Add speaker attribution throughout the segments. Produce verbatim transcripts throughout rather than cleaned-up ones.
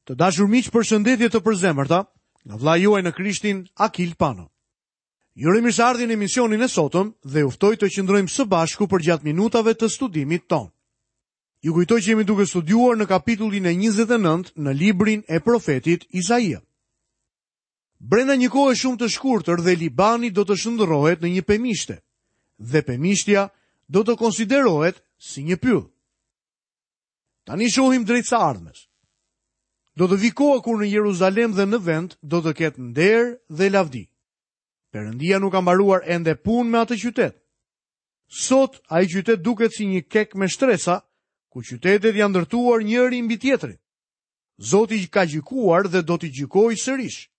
Speaker 1: Të dashur miq, përshëndetje të përzemërta nga vëllai juaj në Krishtin Akil Pano. Ju uroj mirëseardhjen në emisionin e sotëm dhe ju ftoj të qëndrojmë së bashku përgjatë minutave të studimit tonë. Ju kujtoj që jemi duke studiuar në kapitullin e njëzet e nëntë në librin e profetit Isaia. Brenda një kohe shumë të shkurtër dhe Libani do të shndërrohet në një pemishte dhe pemishtja do të konsiderohet si një pyll. Tani shohim drejt së ardhmes. Do të vi koha kur në Jeruzalem dhe në vend do të ketë nder dhe lavdi. Perëndia nuk ka mbaruar ende punë me atë qytet. Sot ai qytet duket si një kek me shtresa, ku qytetet janë ndërtuar njëri mbi tjetrin. Zoti ka gjykuar dhe do t'i gjykojë sërish.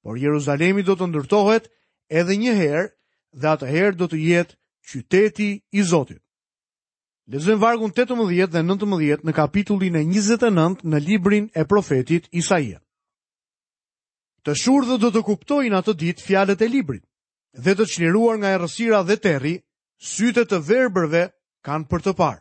Speaker 1: Por Jeruzalemi do të ndërtohet edhe një herë dhe atëherë do të jetë qyteti i Zotit. Lexojmë vargun tetëmbëdhjetë dhe nëntëmbëdhjetë në kapitullin e njëzet e nëntë në librin e profetit Isaia. Të shurdhët do të kuptojnë atë ditë fjalët e librit, dhe të çliruar nga errësira dhe terri, sytë e të verbërve kanë për të parë.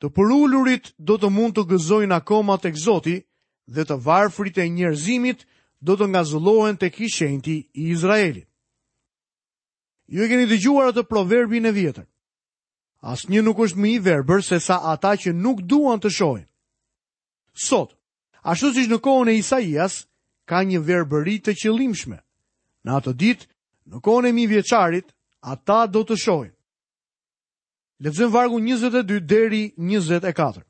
Speaker 1: Të përulurit do të mund të gëzojnë akoma tek Zoti dhe të varfrit e njerëzimit do të ngazëllohen tek i shenjti i Izraelit. Ju e keni dëgjuar atë proverbin e vjetër. Asnjë nuk është më i verbër se sa ata që nuk duan të shohin. Sot, ashtu siç në kohën e Isaias, ka një verbëri të qëllimshme. Në atë ditë, në kohën e mijëvjeçarit, ata do të shohin. Lexojmë vargun njëzet e dy deri njëzet e katër.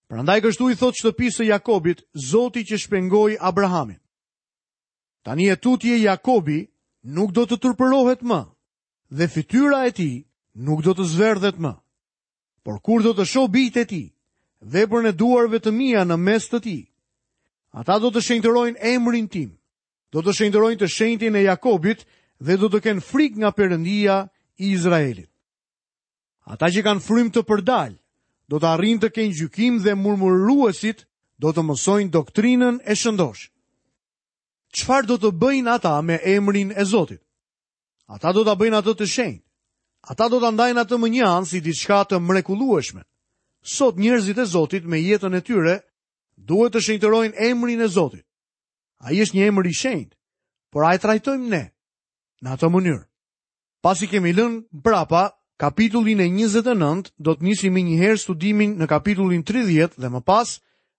Speaker 1: Prandaj kështu i thot shtëpisë së Jakobit, Zoti që shpengoi Abrahamin. Tani e tutje Jakobi nuk do të turpërohet më, dhe fytyra e tij nuk do të zverdhet më. Por kur do të shoh bijtë e tij, veprën e duarve të mia në mes të tij, ata do të shenjtërojnë emrin tim, do të shenjtërojnë të shenjtin e Jakobit dhe do të kenë frikë nga Perëndia i Izraelit. Ata që kanë frymë të përdal, do të arrijnë të kenë gjykim dhe murmuruesit do të mësojnë doktrinën e shëndosh. Çfarë do të bëjnë ata me emrin e Zotit? Ata do ta bëjnë atë të shenjtë. Ata do ta ndajnë atë më një anë si diçka të mrekullueshme. Sot njerëzit e Zotit me jetën e tyre duhet të shenjtërojnë emrin e Zotit. Ai është një emër i shenjtë, por a e trajtojmë ne në atë mënyrë? Pasi kemi lënë prapa kapitullin e njëzet e nëntë, do të nisim më njëherë studimin në kapitullin tridhjetë dhe më pas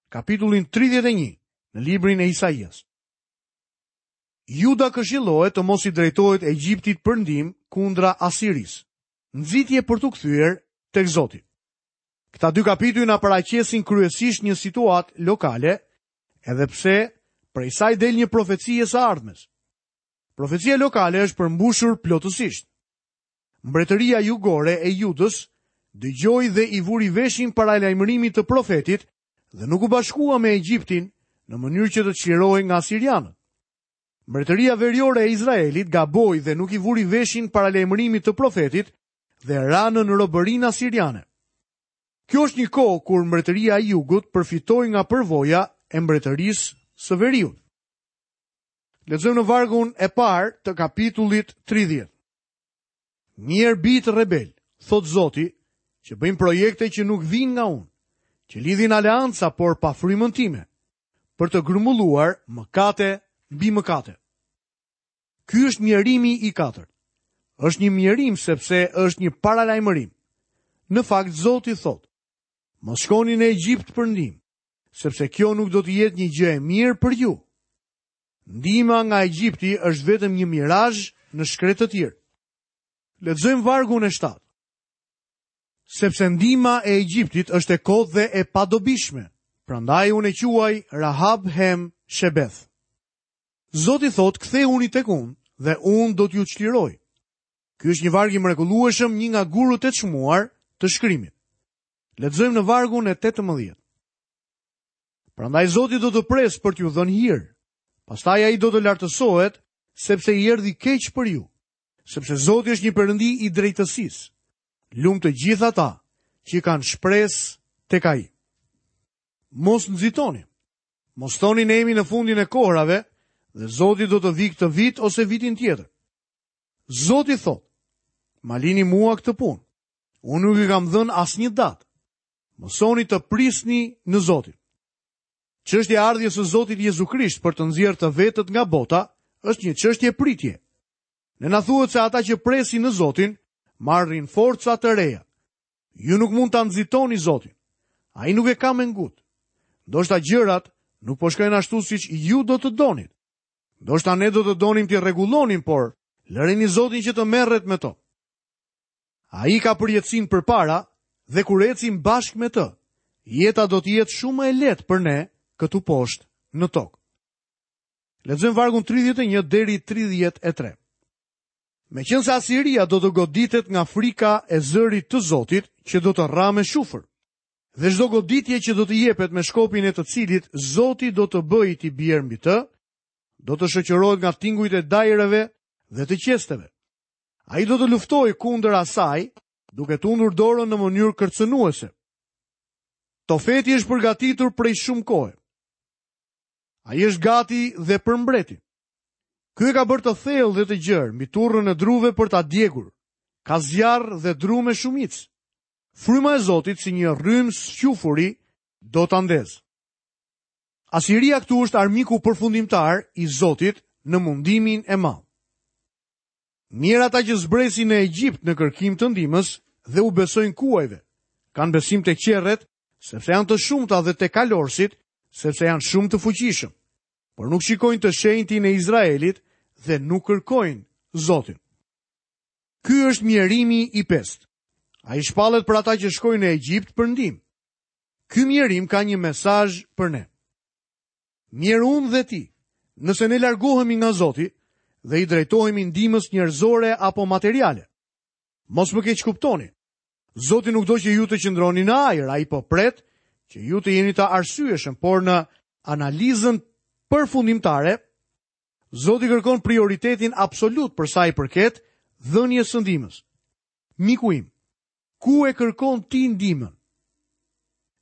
Speaker 1: kapitullin tridhjetë e një në librin e Isaias. Juda këshillohet të mos i drejtohet Egjiptit për ndihmë kundra Asirisë. Nxitje për t'u kthyer tek Zoti. Këta dy kapituj na paraqesin kryesisht një situatë lokale, edhe pse prej saj del një profeci e së ardhmes. Profecia lokale është përmbushur plotësisht. Mbretëria jugore e Judës dëgjoi dhe i vuri veshin paralajmërimit të profetit dhe nuk u bashkua me Egjiptin në mënyrë që të çlirohej nga sirianët. Mbretëria veriore e Izraelit gaboi dhe nuk i vuri veshin paralajmërimit të profetit dhe ra në robërinë asiriane. Kjo është një kohë kur mbretëria e jugut përfitoi nga përvoja e mbretërisë së veriut. Lexojmë në vargun e parë të kapitullit tridhjetë. Mjerë bijtë rebel, thot Zoti, që bëjnë projekte që nuk vijnë nga unë, që lidhin aleanca por pa frymën time, për të grumbulluar mëkate mbi mëkate. Ky është mjerimi i katërt. Është një mjerim sepse është një paralajmërim. Në fakt Zoti thot: Mos shkoni në Egjipt për ndihmë, sepse kjo nuk do të jetë një gjë e mirë për ju. Ndihma nga Egjipti është vetëm një mirazh në shkretëtirë. Lexojmë vargun e shtatë. Sepse ndihma e Egjiptit është e kotë dhe e padobishme, prandaj unë e quaj Rahab Hem Shebeth. Zoti thot, kthehuni tek unë dhe unë do t'ju çliroj. Ky është një varg i mrekullueshëm, një nga gurët e çmuar të shkrimit. Lexojmë në vargun e tetëmbëdhjetë. Prandaj Zoti do të presë për t'ju dhënë hir. Pastaj ai do të lartësohet, sepse i erdhi keq për ju. Sepse Zoti është një perëndi i drejtësisë. Lum të gjithë ata që kanë shpresë tek ai. Mos nxitoni. Mos thoni ne jemi në fundin e kohrave dhe Zoti do të vi këtë vit ose vitin tjetër. Zoti thot, ma lini mua këtë punë. Unë nuk i kam dhënë asnjë datë. Mësoni të prisni në Zotin. Çështja e ardhjes së Zotit Jezu Krisht për të nxjerrë të vetët nga bota është një çështje pritje. Ne na thuhet se ata që presin në Zotin marrin forca të reja. Ju nuk mund ta nxitoni Zotin. Ai nuk e ka me ngut. Ndoshta gjërat nuk po shkojnë ashtu siç ju do të donit. Ndoshta ne do të donim t'i rregullonim, por lëreni Zotin që të merret me to. Ai ka përjetësinë përpara dhe kur ecim bashkë me të, jeta do të jetë shumë më e lehtë për ne këtu poshtë në tokë. Lexojmë vargun tridhjetë e një deri tridhjetë e tre. Meqense Asiria do të goditet nga frika e zërit të Zotit, që do të rra me shufër, dhe çdo goditje që do të jepet me shkopin e të cilit Zoti do të bëjë t'i bjerë mbi të, do të shoqërohet nga tingujt e dajreve dhe të qesteve. Ai do të luftojë kundër asaj, duke tundur dorën në mënyrë kërcënuese. Tofeti është përgatitur prej shumë kohe. Ai është gati dhe për mbretin. Ky e ka bërë të thellë dhe të gjerë mbi turrën e druve për ta djegur. Ka zjarr dhe dru me shumicë. Fryma e Zotit si një rrymë squfuri do ta ndez. Asiria këtu është armiku përfundimtar i Zotit në mundimin e madh. Mirë ata që zbresin në Egjipt në kërkim të ndihmës dhe u besojnë kuajve. Kanë besim te qerret, sepse janë të shumta, dhe te kalorësit, sepse janë shumë të fuqishëm. Por nuk shikojnë të shenjtin e Izraelit dhe nuk kërkojnë Zotin. Ky është mjerimi i pestë. Ai shpallet për ata që shkojnë në Egjipt për ndihmë. Ky mjerim ka një mesazh për ne. Mjerë unë dhe ti, nëse ne largohemi nga Zoti dhe i drejtohemi ndihmës njerëzore apo materiale. Mos më keq kuptoni. Zoti nuk do që ju të qëndroni në ajër, ai po pret që ju të jeni të arsyeshëm, por në analizën përfundimtare, Zoti kërkon prioritetin absolut për sa i përket dhënies së ndihmës. Miku im, ku e kërkon ti ndihmën?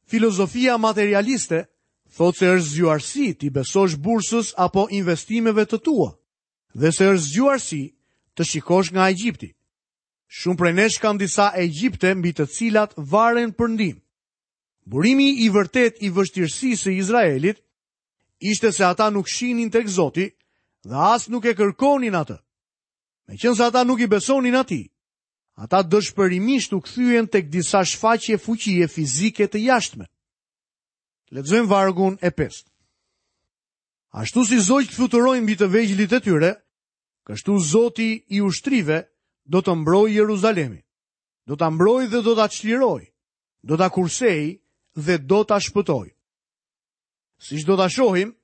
Speaker 1: Filozofia materialiste thotë se është zgjuarsi ti besosh bursës apo investimeve të tua, dhe se është zgjuarsi të shikosh nga Egjipti. Shumë prej nesh kanë disa Egjipte mbi të cilat varen për ndihmë. Burimi i vërtet i vështirësisë së Izraelit ishte se ata nuk shinin tek Zoti dhe as nuk e kërkonin atë. Meqense ata nuk i besonin atij, ata dëshpërimisht u kthyen tek disa shfaqje fuqie fizike të jashtme. Lexojmë vargun e pestë. Ashtu si zogjtë fluturojnë mbi të vegjlit e tyre, kështu Zoti i ushtrive do të mbrojë Jeruzalemin. Do ta mbrojë dhe do ta çlirojë, do ta kursejë dhe do ta shpëtojë. Siç do ta shohim,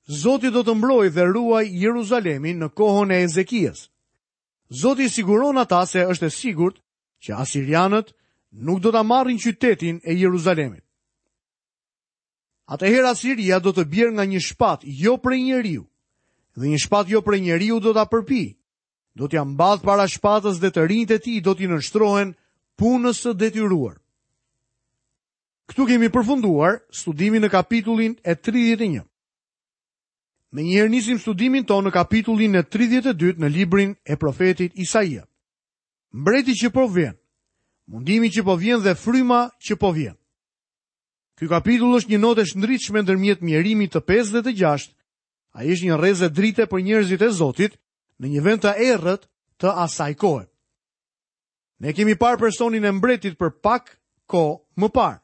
Speaker 1: Zoti do të mbrojë dhe ruajë Jeruzalemin në kohën e Ezekias. Zoti i siguron ata se është e sigurt që asirianët nuk do ta marrin qytetin e Jeruzalemit. Atëherë Asiria do të bjerë nga një shpat jo prej njeriu, dhe një shpat jo prej njeriu do ta përpijë. Do t'ia mbath para shpatës dhe të rinjtë e tij do t'i nënshtrohen punës së detyruar. Këtu kemi përfunduar studimin në kapitullin e tridhjetë e një. Me njëherë nisim studimin tonë në kapitullin e tridhjetë e dy në librin e profetit Isaia. Mbreti që po vjen, mundimi që po vjen dhe fryma që po vjen. Ky kapitull është një notë e shndritshme ndërmjet mjerimit të pesë dhe të gjashtë. Ai është një rreze drite për njerëzit e Zotit në një vend të errët të asaj kohe. Ne kemi parë personin e mbretit për pak kohë më parë,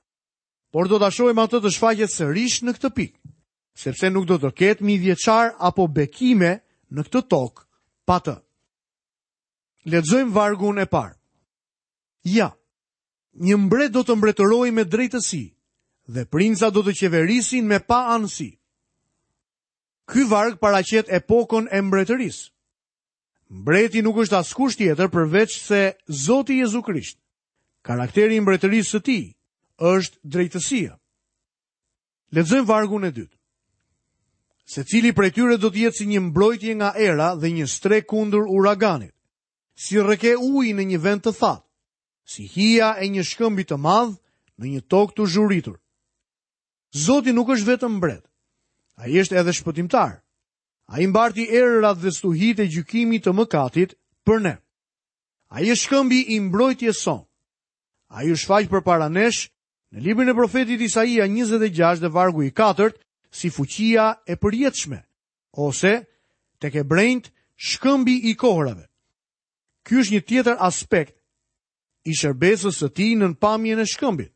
Speaker 1: por do ta shohim atë të shfaqet sërish në këtë pikë, sepse nuk do të ketë mijëvjeçar apo bekime në këtë tokë pa të. Lexojmë vargun e parë. Ja, një mbret do të mbretërojë me drejtësi dhe princa do të qeverisin me paanësi. Ky varg paraqet epokën e mbretërisë. Mbreti nuk është askush tjetër përveç se Zoti Jezu Krisht. Karakteri i mbretërisë së tij është drejtësia. Lexojmë vargun e dytë. Secili prej tyre do të jetë si një mbrojtje nga era dhe një strehë kundër uraganit, si rrëke uji në një vend të thatë, si hija e një shkëmbi të madh në një tokë të zhuritur. Zoti nuk është vetëm mbret. Ai është edhe shpëtimtar. Ai mbarti erërat dhe stuhitë e gjykimit të mëkatit për ne. Ai është shkëmbi i mbrojtjes sonë. Ai u shfaq përpara nesh në librin e profetit Isaia njëzet e gjashtë dhe vargu i katërt si fuqia e përjetshme, ose tek hebrenjtë shkëmbi i kohërave. Ky është një tjetër aspekt i shërbesës së tij nën pamjen e shkëmbit.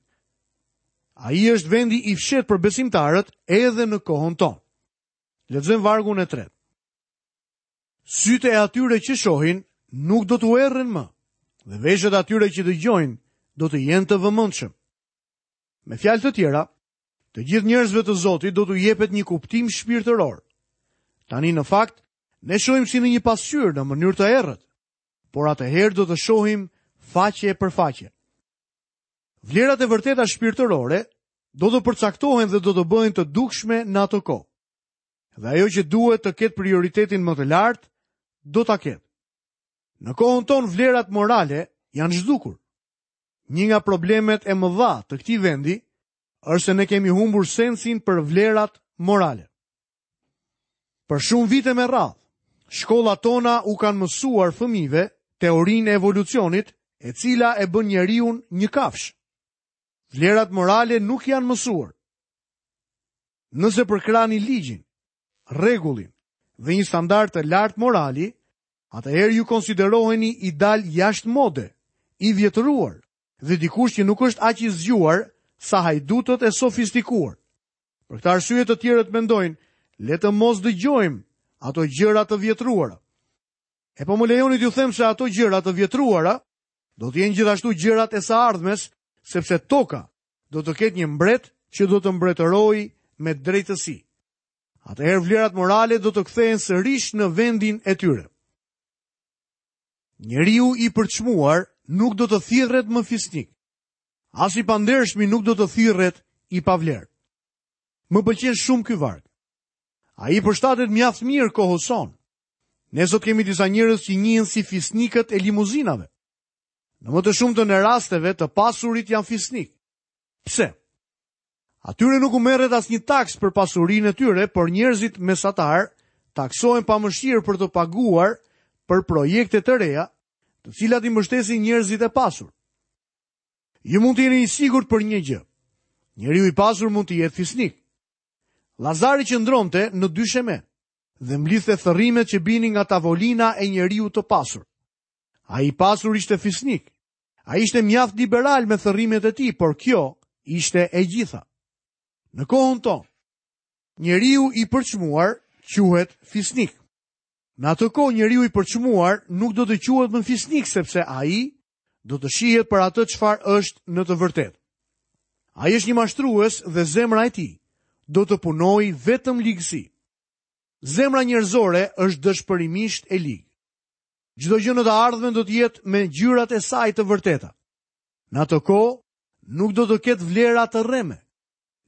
Speaker 1: Ai është vendi i fshehtë për besimtarët edhe në kohën tonë. Lexojmë vargun e tretë. Sytë e atyre që shohin nuk do t'u erren më, dhe veshët e atyre që dëgjojnë do të jenë të vëmendshëm. Me fjalë të tjera, të gjithë njerëzve të Zotit do t'u jepet një kuptim shpirtëror. Tani në fakt, ne shohim si në një pasqyrë në mënyrë të errët, por atëherë do të shohim faqe për faqe. Vlerat e vërteta shpirtërore do të përcaktohen dhe do të bëhen të dukshme në atë kohë. Dhe ajo që duhet të ketë prioritetin më të lartë, do ta ketë. Në kohën tonë vlerat morale janë zhdukur. Një nga problemet e mëdha të këtij vendi është se ne kemi humbur sensin për vlerat morale. Për shumë vite me radhë, shkollat tona u kanë mësuar fëmijëve teorinë e evolucionit, e cila e bën njeriun një kafshë. Vlerat morale nuk janë mësuar. Nëse përkrani ligjin, rregullin dhe një standard të lartë morali, atëherë ju konsideroheni i dal jashtë mode, i vjetëruar dhe dikush që nuk është aq i zgjuar sa hajdutët e sofistikuar. Për këtë arsye të tjerët mendojnë, le të mos dëgjojmë ato gjëra të vjetruara. E po më lejoni t'ju them se ato gjëra të vjetruara do të jenë gjithashtu gjërat e së ardhmes, sepse toka do të ketë një mbret që do të mbretërojë me drejtësi. Atëherë vlerat morale do të kthehen sërish në vendin e tyre. Njeriu i përçmuar nuk do të thirret më fisnik. As i pandershmi nuk do të thirret i pavlerë. Më pëlqen shumë ky varg. Ai përshtatet mjaft mirë kohës sonë. Ne sot kemi disa njerëz që njihen si fisnikët e limuzinave. Në më të shumtën e rasteve, të pasurit janë fisnik. Pse? Atyre nuk u merret asnjë taks për pasurinë e tyre, por njerëzit mesatar taksohen pa mëshirë për të paguar për projekte të reja, të cilat i mbështesin njerëzit e pasur. Ju mund të jeni i sigurt për një gjë. Njeriu i pasur mund të jetë fisnik. Lazari qëndronte në dysheme dhe mblidhte thërrimet që binin nga tavolina e njeriu të pasur. Ai i pasur ishte fisnik. Ai ishte mjaft liberal me thërrimet e tij, por kjo ishte e gjitha. Në kohën tonë, njeriu i përçmuar quhet fisnik. Në atë kohë njeriu i përçmuar nuk do të quhet më fisnik, sepse ai do të shihet për atë çfarë është në të vërtetë. Ai është një mashtrues dhe zemra e tij do të punojë vetëm ligësi. Zemra njerëzore është dëshpërimisht e ligë. Çdo gjë në të ardhmen do të jetë me ngjyrat e saj të vërteta. Në atë kohë nuk do të ketë vlera të rreme.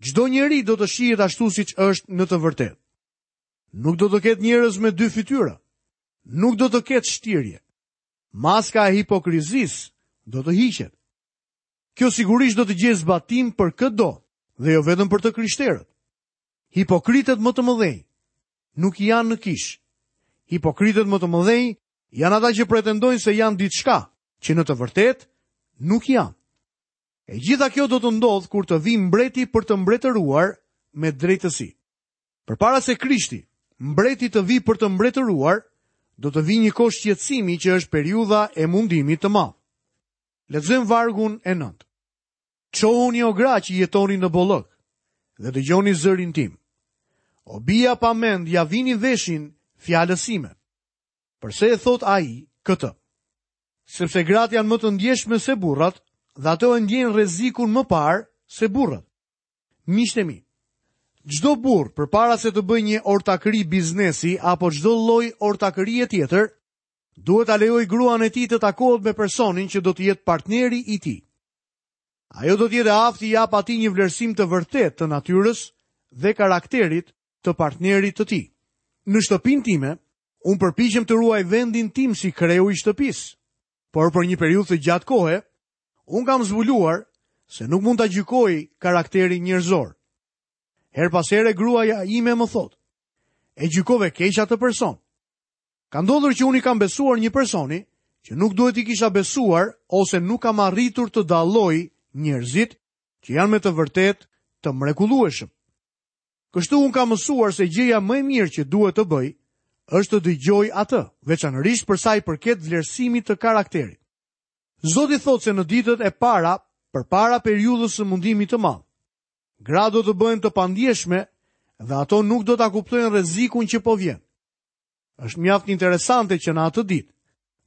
Speaker 1: Çdo njeri do të shihet ashtu siç është në të vërtetë. Nuk do të ketë njerëz me dy fytyra. Nuk do të ketë shtirje. Maska e hipokrizisë do të hiqet. Kjo sigurisht do të gjejë zbatim për këdo dhe jo vetëm për të krishterët. Hipokritët më të mëdhenj nuk janë në kish. Hipokritët më të mëdhenj janë ata që pretendojnë se janë diçka, që në të vërtetë nuk janë. E gjitha kjo do të ndodhë kur të vijë mbreti për të mbretëruar me drejtësi. Përpara se Krishti, mbreti të vijë për të mbretëruar, do të vijë një kohë shqetësimi që është periudha e mundimit të madh. Lexojmë vargun e nëntë. Çohuni o gra që jetoni në bollëk dhe dëgjoni zërin tim. O bija pa mend, ja vini veshin fjalës sime. Përse e thot ai këtë? Sepse gratë janë më të ndjeshme se burrat dhe ato e ndjejnë rrezikun më parë se burrat. Miqtë e mi, çdo burr përpara se të bëjë një ortakëri biznesi apo çdo lloj ortakërie tjetër, duhet ta lejojë gruan e tij të takohet me personin që do të jetë partneri i tij. Ajo do të jetë e aftë t'i japë atij një vlerësim të vërtetë të natyrës dhe karakterit të partnerit të tij. Në shtëpinë time, unë përpiqem të ruaj vendin tim si kreu i shtëpisë, por për një periudhë të gjatë kohe, unë kam zbuluar se nuk mund ta gjykoj karakterin njerëzor. Her pas here gruaja ime më thotë, e gjykove keq atë person. Ka ndodhur që unë i kam besuar një personi që nuk duhet i kisha besuar ose nuk kam arritur të dalloj njerëzit që janë me të vërtetë të mrekullueshëm. Kështu unë kam mësuar se gjëja më e mirë që duhet të bëj është të dëgjoj atë, veçanërisht për sa i përket vlerësimit të karakterit. Zoti thotë se në ditët e para, përpara periudhës së mundimit të madh, gratë do të bëhen të pandjeshme dhe ato nuk do ta kuptojnë rrezikun që po vjen. Është mjaft interesante që në atë ditë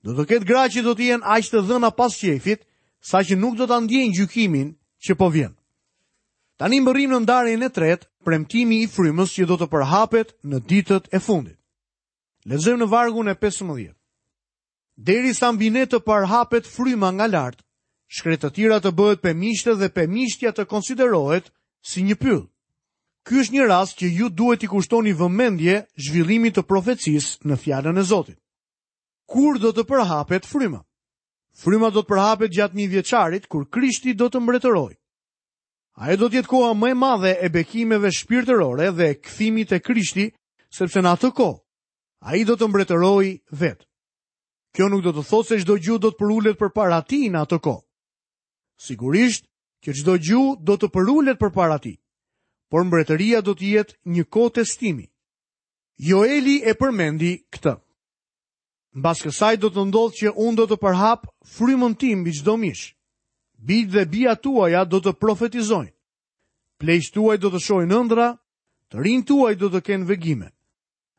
Speaker 1: do të ketë gra që do të jenë aq të dhëna pas qejfit, saqë nuk do ta ndjejnë gjykimin që po vjen. Tani mbërrim në ndarjen e tretë, premtimi i frymës që do të përhapet në ditët e fundit. Lexojmë në vargun e pesëmbëdhjetë. Derisa mbi ne të përhapet fryma nga lart, shkretëtira të bëhet pemishte dhe pemishtja të konsiderohet si një pyll. Ky është një rast që ju duhet t'i kushtoni vëmendje zhvillimit të profecisë në fjalën e Zotit. Kur do të përhapet fryma? Fryma do të përhapet gjatë mijëvjeçarit kur Krishti do të mbretërojë. Ajo do të jetë koha më e madhe e bekimeve shpirtërore dhe e kthimit te Krishti, sepse në atë kohë ai do të mbretërojë vetë. Kjo nuk do të thotë se çdo gjuhë do të përulet përpara tij në atë kohë. Sigurisht që çdo gjuhë do të përulet përpara tij, por mbretëria do të jetë një kohë testimi. Joeli e përmendi këtë. Mbas kësaj do të ndodhë që unë do të përhap frymën tim mbi çdo mish. Bijtë dhe bijat tuaja do të profetizojnë. Pleqtë tuaj do të shohin ëndra, të rinjtë tuaj do të kenë vegime.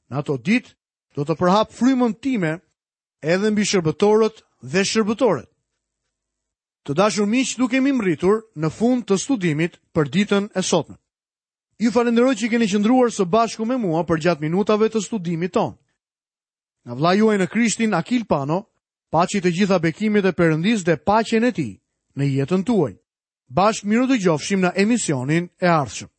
Speaker 1: Në ato ditë do të përhap frymën time edhe mbi shërbëtorët dhe shërbëtoret. Të dashur miq, duke kemi mbërritur në fund të studimit për ditën e sotme. Ju falenderoj që keni qëndruar së bashku me mua përgjatë minutave të studimit tonë. Nga vëllai juaj në Krishtin Akil Pano, paçi të gjitha bekimet e Perëndisë dhe paqen e tij në jetën tuaj. Bashkë mirudëgjofshim në emisionin e ardhshëm.